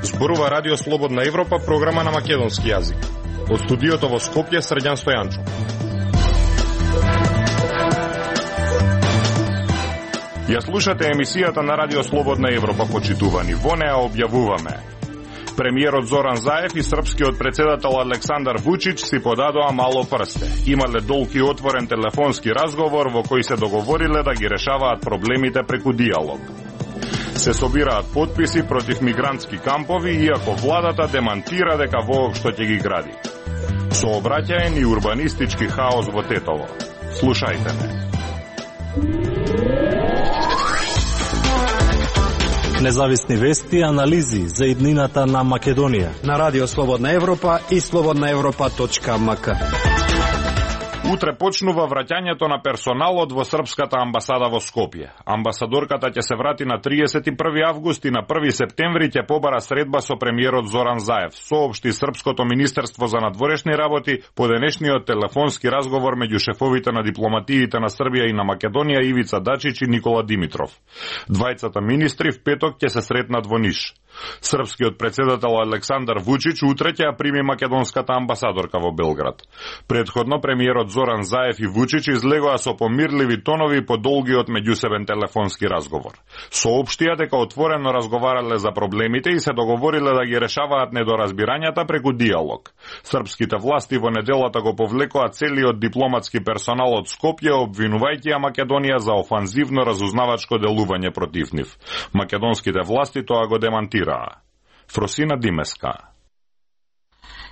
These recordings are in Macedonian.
Зборува Радио Слободна Европа, програма на македонски јазик. Од студиото во Скопје, Срđan Стојанчов. Ја слушате емисијата на Радио Слободна Европа, почитувани. Во неа објавуваме: премиерот Зоран Заев и српскиот председател Александар Вучич си подадоа мало прсте. Имале долг и отворен телефонски разговор во кој се договориле да ги решаваат проблемите преку диалог. Се собираат потписи против мигрантски кампови, иако владата демантира дека воопшто ќе ги гради. Сообраќаен и урбанистички хаос во Тетово. Слушајте ме. Независни вести и анализи за иднината на Македонија на Радио Слободна Европа и slobodnaevropa.mk. Утре почнува враќањето на персоналот во српската амбасада во Скопје. Амбасадорката ќе се врати на 31 август и на 1 септември ќе побара средба со премиерот Зоран Заев, соопшти Српското министерство за надворешни работи по денешниот телефонски разговор меѓу шефовите на дипломатиите на Србија и на Македонија Ивица Дачич и Никола Димитров. Двајцата министри в петок ќе се сретнат во Ниш. Српскиот председател Александар Вучич утре ќе ја прими македонската амбасадорка во Белград. Предходно премиерот Зоран Заев и Вучич излегоа со помирливи тонови по долгиот меѓусебен телефонски разговор. Соопштија дека отворено разговарале за проблемите и се договориле да ги решаваат недоразбирањата преку диалог. Српските власти во неделата го повлекоа целиот дипломатски персонал од Скопје, обвинувајќи ја Македонија за офанзивно разузнавачко делување против нив. Македонските власти тоа го демантираа. Фросина Димеска.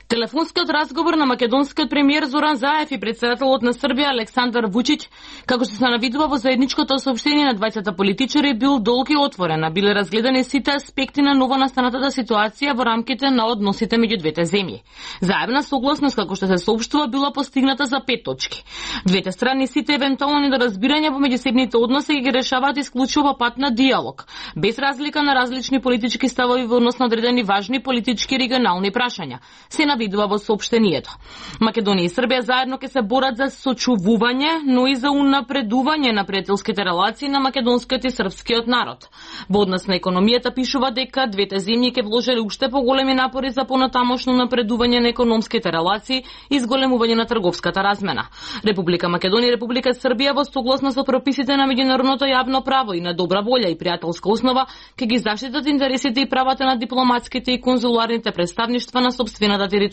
Телефонскиот разговор на македонскиот премиер Зоран Заев и председателот на Србија Александар Вучич, како што се навидува во заедничкото соопштение на двајцата политичари, бил долг и отворен, биле разгледани сите аспекти на новонастанатата ситуација во рамките на односите меѓу двете земји. Заедна согласност, како што се соопштува, била постигната за 5 точки. Двете страни сите евентуални недоразбирања во меѓусебните односи ги решаваат исклучиво по пат на диалог, без разлика на различни политички ставови во однос на одредени важни политички и регионални прашања. Се видува во соопштението. Македонија и Србија заедно ќе се борат за сочувување, но и за унапредување на пријателските релации на македонскиот и српскиот народ. Во однос на економијата пишува дека двете земји ќе вложеле уште поголеми напори за понатамошно напредување на економските релации и зголемување на трговската размена. Република Македонија и Република Србија во согласност со прописите на меѓународното јавно право и на добра волја и пријателска основа ќе ги заштитат интересите и правата на дипломатските и конзуларните представништва на сопствената територија,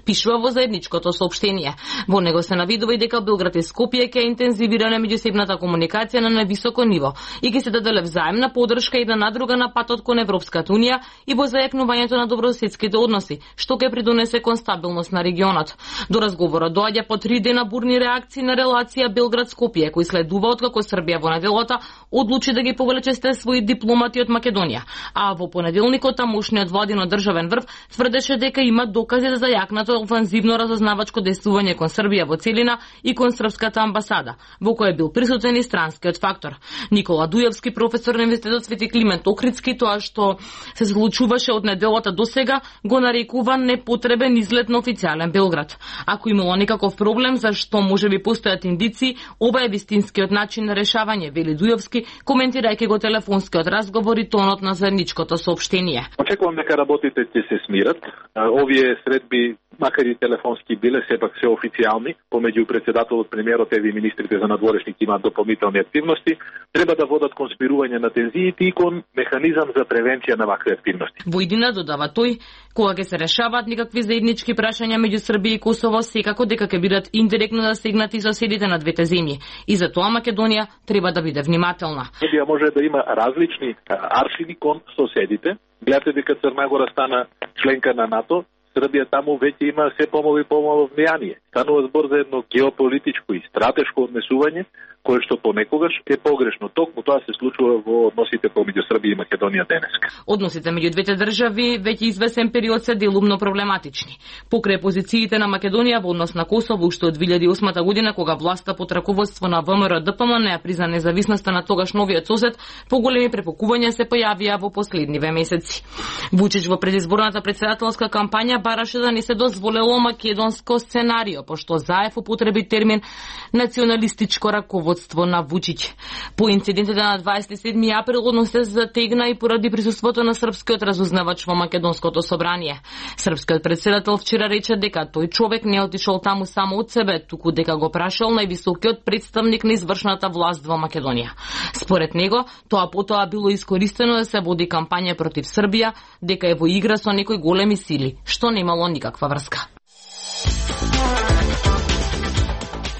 пишува во заедничкото соопштение. Во него се навидува и дека Белград и Скопје ќе интензивираат меѓусебната комуникација на највисоко ниво и ќе се даде взаимна поддршка една на друга на патот кон Европската унија и во зајакнувањето на добрососедските односи, што ќе придонесе кон стабилност на регионот. До разговорот доаѓа по 3 дена бурни реакции на релација Белград-Скопје, кои следува откако Србија во неделата одлучи да ги повлече своји дипломати од Македонија, а во понеделникот тамошниот владин државен врв тврдеше дека има докази за зајакнато офанзивно разузнавачко действување кон Србија во целина и кон српската амбасада, во која бил присутен и странскиот фактор. Никола Дујевски, професор на Универзитетот Свети Климент Охридски, тоа што се случуваше од неделата до сега, го нарекува непотребен излет на официјален Белград. Ако имало некаков проблем, зашто можеби постојат индици, ова е вистинскиот начин на решавање, вели Дујевски, коментирајќи го телефонскиот разговор и тонот на заедничкото соопштение. Очекувам дека работите ќе се смират. Овие средби, макар и телефонски биле, сепак се официјални, помеѓу председателот, премиерот и министрите за надворешните имаат дополнителни активности, треба да водат кон спирување на тензиите и кон механизам за превенција на вакви активности. Во иднина, додава тој, кога ќе се решаваат никакви заеднички прашања меѓу Србија и Косово, секако дека ќе бидат индиректно засегнати соседите на двете земји. И затоа Македонија треба да биде внимателна. Србија може да има различни аршини кон соседите. Гледате дека Црна Гора стана членка на НАТО, Србија таму веќе има се помало и помало влијание. Станува збор за едно геополитичко и стратешко однесување, кое што понекогаш е погрешно. Токму тоа се случува во односите помеѓу Србија и Македонија денеска. Односите меѓу двете држави веќе извесен период се делумно проблематични. Покрај позициите на Македонија во однос на Косово уште од 2008 година, кога власта под раководство на ВМРО-ДПМН не призна независноста на тогаш новиот сосед, поголеми препокувања се појавија во последниве месеци. Вучич во предизборната председателска кампања бараше да не се дозволело македонско сценарио, пошто Заев употреби термин националистичко раководство на Вучиќ. По инцидентите на 27 април однос се затегна и поради присуството на српскиот разузнавач во Македонското собрание. Српскиот председател вчера рече дека тој човек не отишол таму само од себе, туку дека го прашал највисокиот представник на извршната власт во Македонија. Според него, тоа потоа било искористено да се води кампања против Србија, дека е во игра со некои големи сили, што немало никаква врска.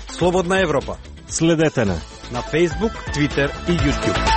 Слободна Европа. Следете на Facebook, Twitter и YouTube.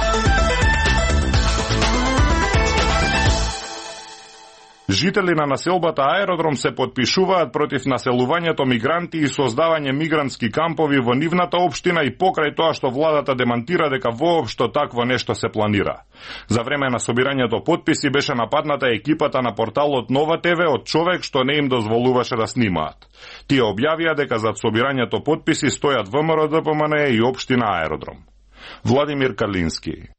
Жители на населбата Аеродром се потпишуваат против населувањето мигранти и создавање мигрантски кампови во нивната општина и покрај тоа што владата демантира дека воопшто такво нешто се планира. За време на собирањето потписи беше нападната екипата на порталот Нова ТВ од човек што не им дозволуваше да снимаат. Тие објавија дека зад собирањето потписи стојат ВМРО ДПМН и општина Аеродром. Владимир Калински.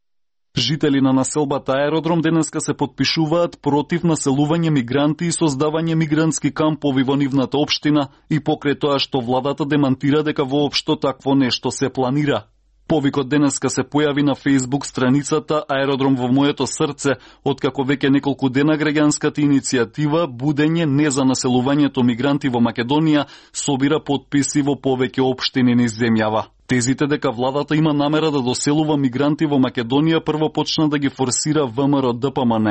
Жители на населбата Аеродром денеска се потпишуваат против населување мигранти и создавање мигрантски кампови во нивната општина и покрај тоа што владата демантира дека воопшто такво нешто се планира. Повикот денеска се појави на Facebook страницата Аеродром во моето срце, откако веќе неколку дена граѓанската иницијатива Будење не за населувањето мигранти во Македонија собира потписи во повеќе општини низ земјава. Тезите дека владата има намера да доселува мигранти во Македонија прво почна да ги форсира ВМРО ДПМН.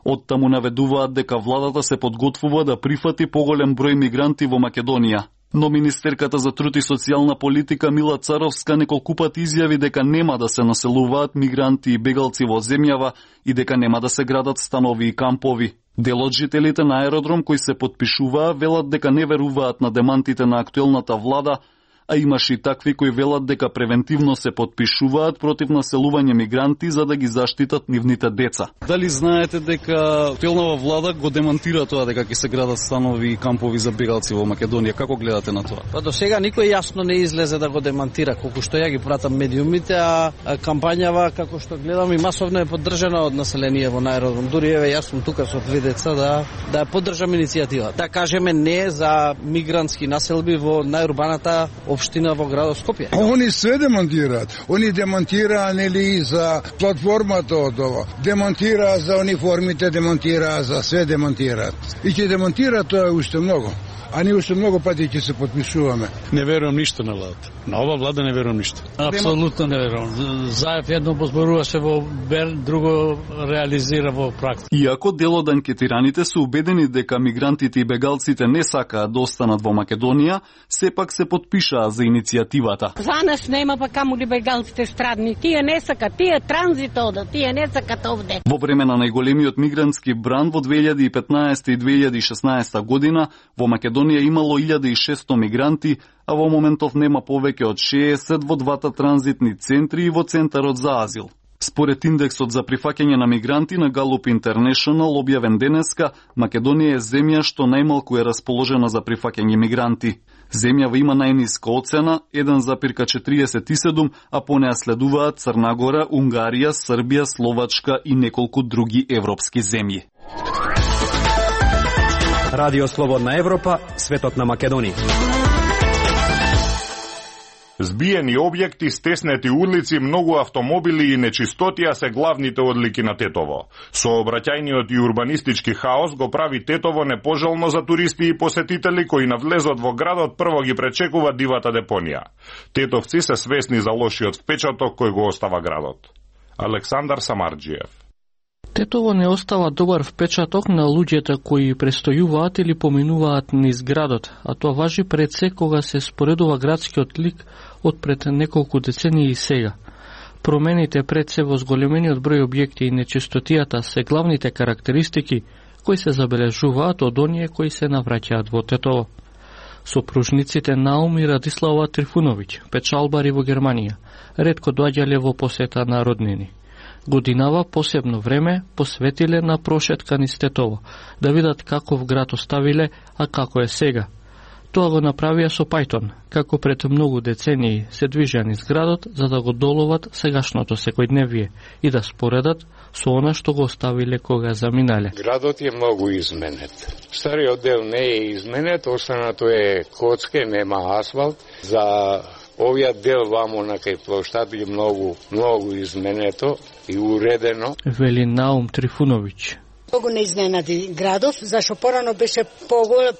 Оттаму наведуваат дека владата се подготвува да прифати поголем број мигранти во Македонија. Но министерката за труд и социјална политика Мила Царовска неколку пати изјави дека нема да се населуваат мигранти и бегалци во земјава и дека нема да се градат станови и кампови. Дел од жителите на Аеродром кои се потпишуваа велат дека не веруваат на демантите на актуелната влада, а имаше и такви кои велат дека превентивно се потпишуваат против населување мигранти за да ги заштитат нивните деца. Дали знаете дека актуелната влада го демантира тоа дека ќе се градат станови и кампови за бегалци во Македонија? Како гледате на тоа? Па до сега никој јасно не излезе да го демантира, колку што ја ги пратам медиумите, а кампањава како што гледам и масовно е поддржана од население во Аеродром. Дури еве јас сум тука со 3 деца да ја поддржам иницијативата. Да кажеме не за мигрантски населби во најурбаната општина во градот Скопје. Они све демонтираат. Они демонтираа нели за платформата од ова. Демонтираа за униформите, демонтираа за све демонтираат. И ќе демонтираат тоа уште многу. А ние уште многу пати ќе се потпишуваме. Не верувам ништо на владата. На ова влада не верувам ништо. Апсолутно не верувам. Заев едно позборуваше во Берн, друго реализира во практика. Иако дел од анкетираните се убедени дека мигрантите и бегалците не сакаат да останат во Македонија, сепак се потпишаа за иницијативата. За нас нема па каму ли бегалците страдни. Тие не сакат, тие транзит одат, тие не сакат овде. Во време на најголемиот мигрантски бран во 2015 и 2016 година во Македонија имало 1600 мигранти, а во моментов нема повеќе од 60 во двата транзитни центри и во центарот за азил. Според индексот за прифаќање на мигранти на Gallup International објавен денеска, Македонија е земја што најмалку е расположена за прифаќање мигранти. Земјава има најниска оцена 1,47, а по неа следуваат Црна Гора, Унгарија, Србија, Словачка и неколку други европски земји. Радио Слободна Европа, светот на Македонија. Збиени објекти, стеснети улици, многу автомобили и нечистотија се главните одлики на Тетово. Сообраќајниот и урбанистички хаос го прави Тетово непожелно за туристи и посетители кои на влезот во градот прво ги пречекува дивата депонија. Тетовци се свесни за лошиот впечаток кој го остава градот. Александар Самарџиев. Тетово не остава добар впечаток на луѓето кои престојуваат или поминуваат низ градот, а тоа важи пред се кога се споредува градскиот лик од пред неколку децении и сега. Промените пред се во зголемениот број објекти и нечистотијата се главните карактеристики кои се забележуваат од оние кои се навраќаат во Тетово. Сопружниците Наум и Радислава Трифуновиќ, печалбари во Германија, ретко доаѓале во посета на роднини. Годинава посебно време посветиле на прошетка низ Тетово, да видат каков град оставиле, а како е сега. Тоа го направија со Пајтон, како пред многу децении се движеа низ градот за да го доловат сегашното секојдневие и да споредат со она што го оставиле кога заминале. Градот е многу изменет. Стариот дел не е изменет, останато е коцке, нема асфалт. За овиот дел вамо на кај плоштад е многу изменето и уредено. Вели Наум Трифуновиќ. Многу не изненади градов, зашто порано беше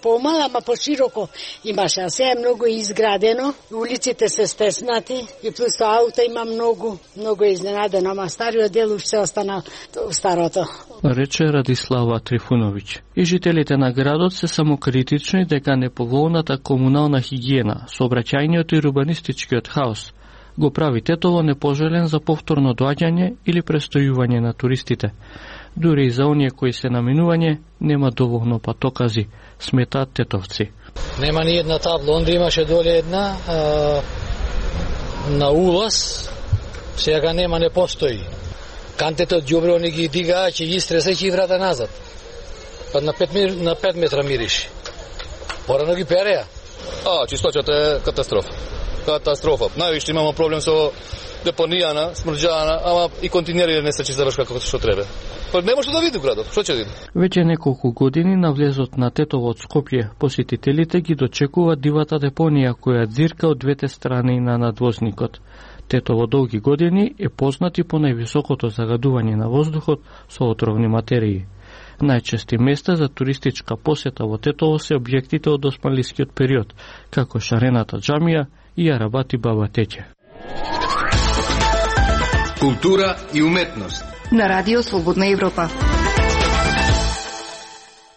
помал, ама пошироко имаше, а сега е многу изградено, улиците се стеснати и плюс ауто има многу изненадено, ама стариот дел уште остана старото. Рече Радислава Трифуновиќ. И жителите на градот се самокритични дека неповолната комунална хигиена, сообраќајниот и урбанистичкиот хаос го прави Тетово непожелен за повторно доаѓање или престојување на туристите. Дури и за оние кои се наминување нема доволно патокази, сметаат тетовци. Нема ни една табла, онде имаше доле една на улаз, сега нема, не постои. Кантите од ѓубре они ги дигаа, ќе ги стреса и ќе ги врата назад. Па на 5 метра мириш. Порано ги переа. Чисточата е катастрофа. Највише имамо проблем со депонијана, смрđana, ама и континери не се чисташ како што треба. Па не може да види градот, што ќе види? Веќе неколку години на влезот на Тетово од Скопје, посетителите ги дочекува дивата депонија која ѕирка од двете страни на надвозникот. Тетово долги години е познат и по највисокото загадување на воздухот со отровни материи. Најчести места за туристичка посета во Тетово се објектите од османлискиот период, како Шарената џамија и Арабати Баба Теќе. Култура и уметност на Радио Слободна Европа.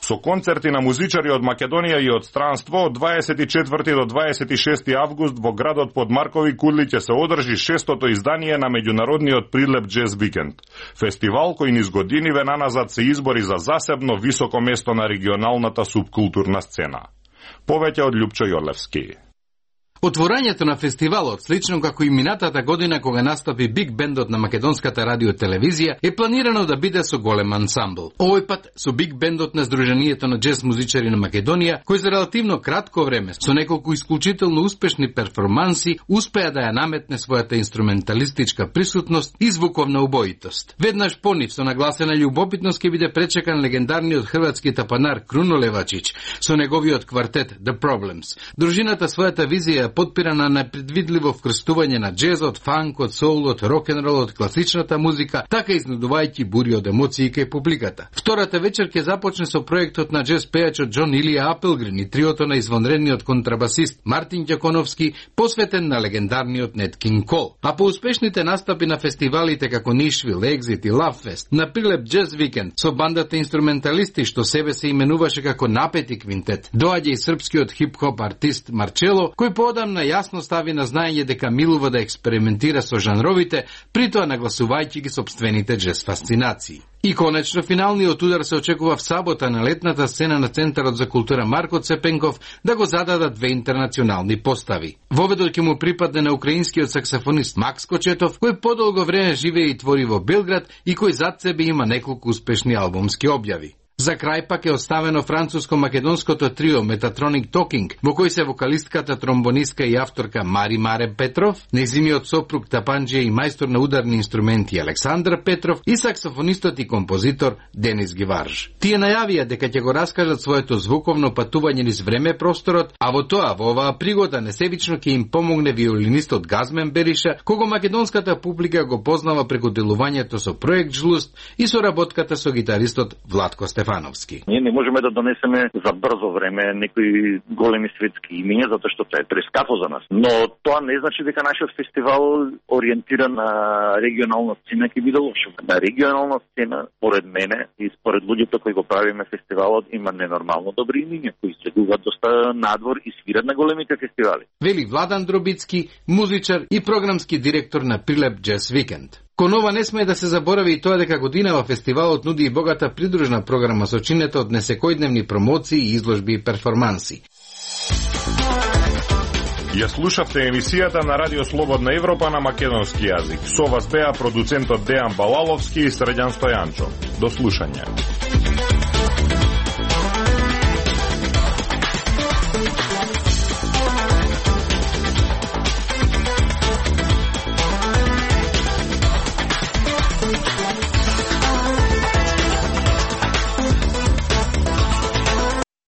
Со концерти на музичари од Македонија и од странство, од 24 до 26 август во градот Подмаркови Кудли ќе се одржи 6-тото издание на меѓународниот Прилеп Джез Викенд. Фестивал кој низ години венаназад се избори за засебно високо место на регионалната субкултурна сцена. Повеќе од Љупчо Јолевски. Отворањето на фестивалот, слично како и минатата година кога настапи Биг бендот на македонската радио телевизија, е планирано да биде со голем ансамбл. Овој пат со Биг бендот на Сдруженијето на џез музичари на Македонија, кој за релативно кратко време, со неколку исклучително успешни перформанси, успеа да ја наметне својата инструменталистичка присутност и звуковна убоитост. Веднаш по нив со нагласена љубопитност ќе биде пречекан легендарниот хрватски тапанар Круно Левачич со неговиот квартет The Problems. Дружината својата визија подпира на непредвидливо вкрстување на џезот, фанкот, соулот, рок-н-ролот, класичната музика, така изнудувајќи бури од емоции кај публиката. Втората вечер ќе започне со проектот на џез пејачот Џон Илија Апелгрин и триото на извонредниот контрабасист Мартин Ѓаконовски, посветен на легендарниот Нет Кинг Кол. А по успешните настапи на фестивалите како Нишвил, Екзит и Лавфест, на Прилеп Джез Викенд со бандата инструменталисти што себе се именуваше како Напети квинтет, доаѓа и српскиот хип-хоп артист Марчело, кој поодамна јасно стави на знаење дека милува да експериментира со жанровите, притоа нагласувајќи ги сопствените џез фасцинации. И конечно, финалниот удар се очекува в сабота на летната сцена на Центарот за култура Марко Цепенков да го зададат две интернационални постави. Воведот ќе му припадне на украинскиот саксофонист Макс Кочетов, кој подолго време живее и твори во Белград и кој зад себе има неколку успешни албумски објави. За крај пак е оставено француско-македонското трио Metatronic Talking, во кој се вокалистката, тромбонистка и авторка Мари Маре Петров, нејзиниот сопруг тапанџија и мајстор на ударни инструменти Александр Петров и саксофонистот и композитор Денис Гиварж. Тие најавија дека ќе го раскажат своето звуковно патување низ време просторот, а во оваа пригода несебично ќе им помогне виолинистот Газмен Бериша, кого македонската публика го познава преку делувањето со проект Жлуст и соработката со гитаристот Владко Стефановски. Ние не можеме да донесеме за брзо време некои големи светски имиња, затоа што тоа е прескапо за нас. Но тоа не значи дека нашиот фестивал ориентиран на регионална сцена ќе биде лош. На регионална сцена, според мене и според луѓето кои го правиме фестивалот, има ненормално добри имиња кои следуваат доста надвор и свират на големите фестивали. Вели Владан Дробицки, музичар и програмски директор на Прилеп Джез Викенд. Кон ова не сме да се заборави и тоа дека годинава фестивалот нуди и богата придружна програма со чинета од несекојдневни промоции, изложби и перформанси. Ја слушавте емисијата на Радио Слободна Европа на македонски јазик. Со вас беа продуцентот Дејан Балаловски и Средјан Стојанчо. До слушање.